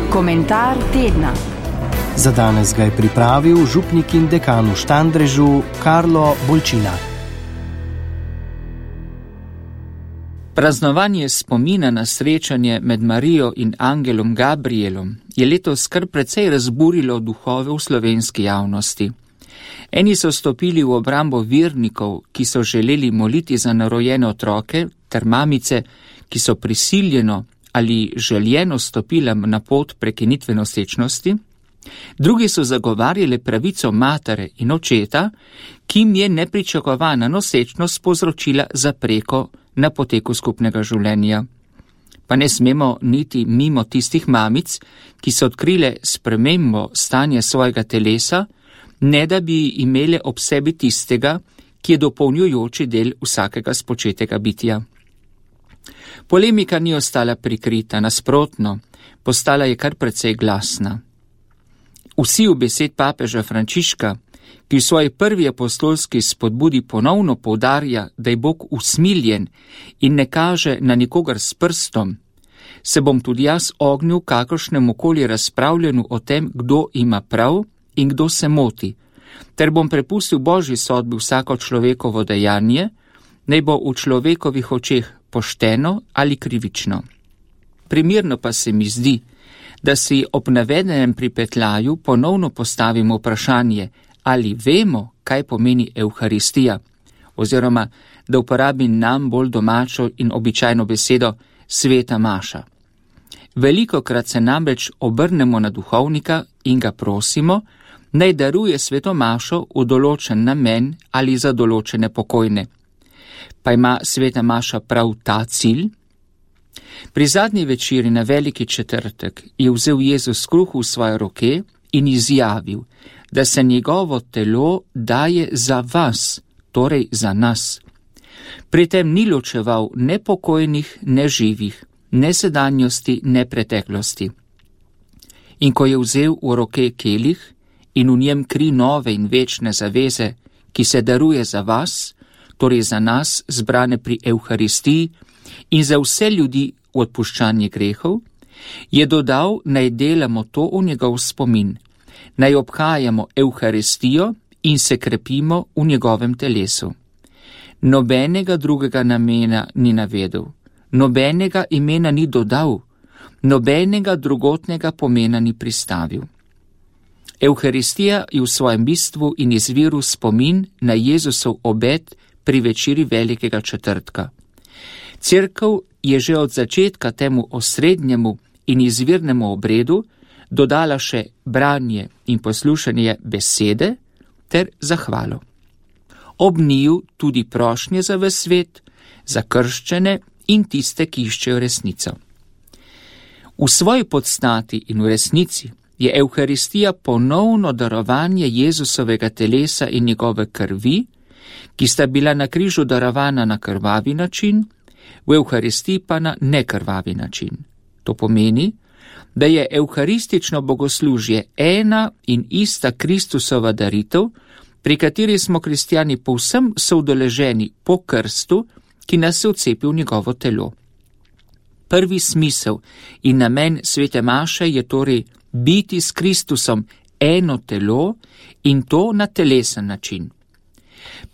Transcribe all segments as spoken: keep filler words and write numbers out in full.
Komentar tedna. Za danes ga je pripravil župnik in dekan v Štandrežu Karlo Bolčina. Praznovanje spomina na srečanje med Marijo in angelom Gabrielom je letos kar precej razburilo duhove v slovenski javnosti. Eni so stopili v obrambo vernikov, ki so želeli moliti za narojene otroke, ter mamice, ki so prisiljeno ali željeno stopile na pot prekinitve nosečnosti. Drugi so zagovarjali pravico matere in očeta, ki jim je nepričakovana nosečnost povzročila zapreko na poteku skupnega življenja. Pa ne smemo niti mimo tistih mamic, ki so odkrile spremembo stanja svojega telesa, ne da bi imele ob sebi tistega, ki je dopolnjujoči del vsakega spočetega bitja. Polemika ni ostala prikrita, nasprotno, postala je kar precej glasna. Vsi v besed papeža Frančiška, ki v svoji prvi apostolski spodbudi ponovno poudarja, da je Bog usmiljen in ne kaže na nikogar s prstom, se bom tudi jaz ognil kakršnemu koli razpravljanju o tem, kdo ima prav in kdo se moti, ter bom prepustil Božji sodbi vsako človekovo dejanje, naj bo v človekovih očeh pošteno ali krivično. Primerno pa se mi zdi, da si ob navedenem pripetljaju ponovno postavimo vprašanje, ali vemo, kaj pomeni Evharistija, oziroma da uporabim nam bolj domačo in običajno besedo sveta maša. Velikokrat se namreč obrnemo na duhovnika in ga prosimo, naj daruje sveto mašo v določen namen ali za določene pokojne. Pa ima sveta maša prav ta cilj? Pri zadnji večeri na veliki četrtek je vzel Jezus kruh v svoje roke in izjavil, da se njegovo telo daje za vas, torej za nas. Pri tem ni ločeval ne pokojnih, ne živih, ne sedanjosti, ne preteklosti. In ko je vzel v roke kelih in v njem kri nove in večne zaveze, ki se daruje za vas, torej za nas, zbrane pri Evharistiji in za vse ljudi v odpuščanje grehov, je dodal, naj delamo to v njegov spomin, naj obhajamo Evharistijo in se krepimo v njegovem telesu. Nobenega drugega namena ni navedel, nobenega imena ni dodal, nobenega drugotnega pomena ni pristavil. Evharistija je v svojem bistvu in izviru spomin na Jezusov obet pri večeri velikega četrtka. Cerkev je že od začetka temu osrednjemu in izvirnemu obredu dodala še branje in poslušanje besede ter zahvalo. Ob njiju tudi prošnje za ves svet, za krščene in tiste, ki iščejo resnico. V svoji podstati in v resnici je Evharistija ponovno darovanje Jezusovega telesa in njegove krvi, ki sta bila na križu darovana na krvavi način, v Evharistiji pa na nekrvavi način. To pomeni, da je evharistično bogoslužje ena in ista Kristusova daritev, pri kateri smo kristjani povsem soudeleženi po krstu, ki nas je vcepil v njegovo telo. Prvi smisel in namen svete maše je torej biti s Kristusom eno telo in to na telesen način.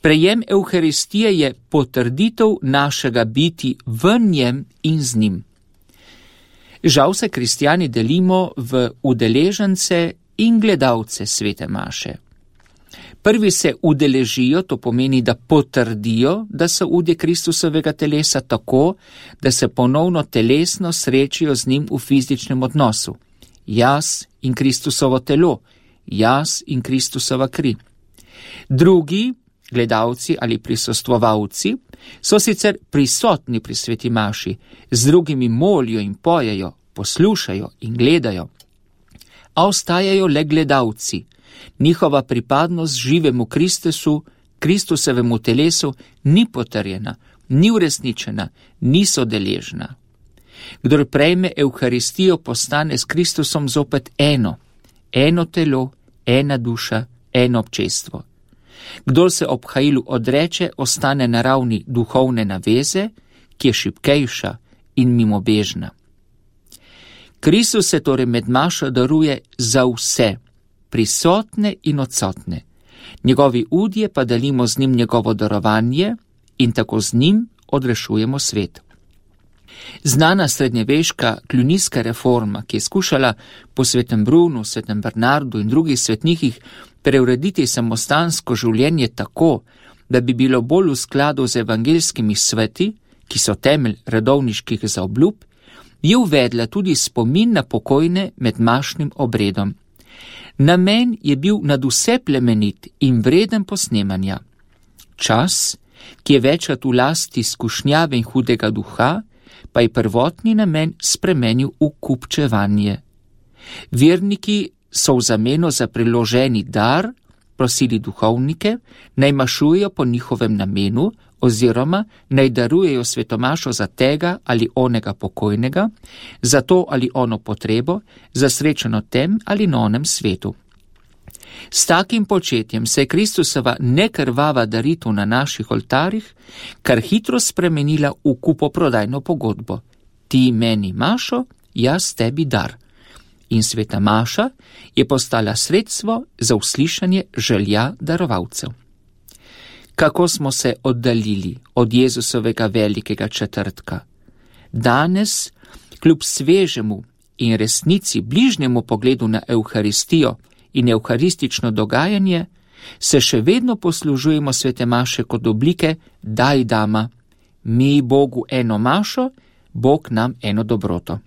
Prejem Evharistije je potrditev našega biti v njem in z njim. Žal se kristjani delimo v udeležence in gledalce svete maše. Prvi se udeležijo, to pomeni, da potrdijo, da so udje Kristusovega telesa tako, da se ponovno telesno srečijo z njim v fizičnem odnosu. Jaz in Kristusovo telo, jaz in Kristusova kri. Drugi, gledalci ali prisostvovalci, so sicer prisotni pri sveti maši, z drugimi molijo in pojejo, poslušajo in gledajo, a ostajajo le gledalci. Njihova pripadnost živemu Kristusu, Kristusovemu telesu ni potrjena, ni uresničena, ni sodeležna. Kdor prejme Evharistijo, postane s Kristusom zopet eno, eno telo, ena duša, eno občestvo. Kdor se obhajilu odreče, ostane na ravni duhovne naveze, ki je šibkejša in mimobežna. Kristus se torej med mašo daruje za vse, prisotne in odsotne. Njegovi udje pa delimo z njim njegovo darovanje in tako z njim odrešujemo svet. Znana srednjeveška klunijska reforma, ki je skušala po svetem Brunu, svetem Bernardu in drugih svetnikih preurediti samostansko življenje tako, da bi bilo bolj v skladu z evangeljskimi sveti, ki so temelj redovniških zaobljub, je uvedla tudi spomin na pokojne med mašnim obredom. Namen je bil nadvse plemenit in vreden posnemanja. Čas, ki je večkrat v lasti skušnjave in hudega duha, pa je prvotni namen spremenil v kupčevanje. Verniki so v zameno za priloženi dar prosili duhovnike, naj mašujejo po njihovem namenu oziroma naj darujejo svetomašo za tega ali onega pokojnega, za to ali ono potrebo, za srečo na tem ali na onem svetu. S takim početjem se je Kristusova nekrvava daritev na naših oltarih kar hitro spremenila v kupoprodajno pogodbo. Ti meni mašo, jaz tebi dar. In sveta maša je postala sredstvo za uslišanje želja darovalcev. Kako smo se oddaljili od Jezusovega velikega četrtka. Danes, kljub svežemu in resnici bližnjemu pogledu na Evharistijo in evharistično dogajanje, se še vedno poslužujemo svete maše kot oblike daj dama. Mi Bogu eno mašo, Bog nam eno dobroto.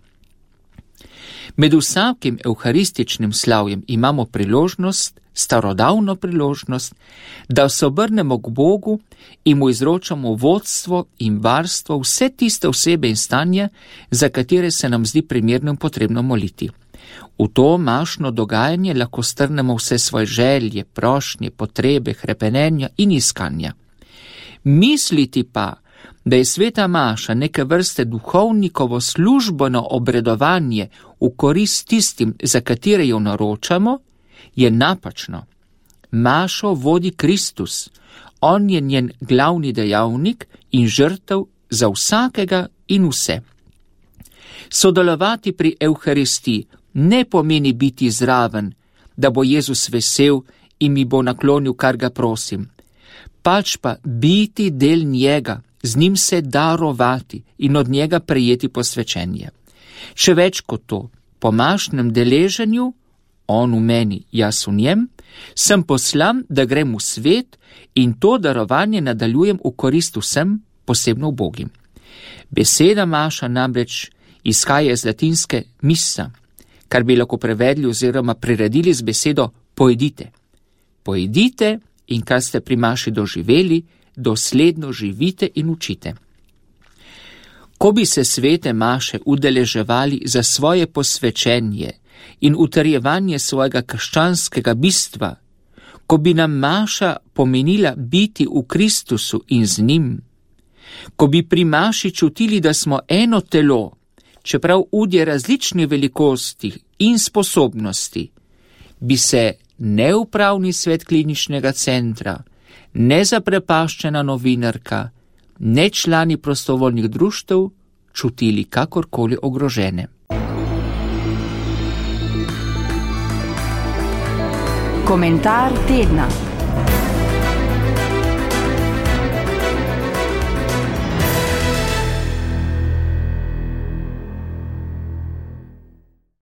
Med vsakim evharističnim slavjem imamo priložnost, starodavno priložnost, da se obrnemo k Bogu in mu izročamo vodstvo in varstvo vse tiste osebe in stanje, za katere se nam zdi primerno in potrebno moliti. V to mašno dogajanje lahko strnemo vse svoje želje, prošnje, potrebe, hrepenenja in iskanja. Misliti pa, da je sveta maša neke vrste duhovnikovo službeno obredovanje v korist tistim, za katere jo naročamo, je napačno. Mašo vodi Kristus, on je njen glavni dejavnik in žrtev za vsakega in vse. Sodelovati pri Evharistiji ne pomeni biti zraven, da bo Jezus vesel in mi bo naklonil, kar ga prosim, pač pa biti del njega, z njim se darovati in od njega prejeti posvečenje. Še več kot to, po mašnem deleženju, on v meni, jaz v njem, sem poslan, da grem v svet in to darovanje nadaljujem v korist vsem, posebno ubogim. Beseda maša namreč izhaja iz latinske missa, kar bi lahko prevedli oziroma priredili z besedo pojedite. Pojedite in kar ste pri maši doživeli, dosledno živite in učite. Ko bi se svete maše udeleževali za svoje posvečenje in utrjevanje svojega krščanskega bistva, ko bi nam maša pomenila biti v Kristusu in z njim, ko bi pri maši čutili, da smo eno telo, čeprav udje različne velikosti in sposobnosti, bi se neupravni svet kliničnega centra, nezaprepaščena novinarka, ne člani prostovoljnih društev čutili kakorkoli ogrožene. Komentar tedna.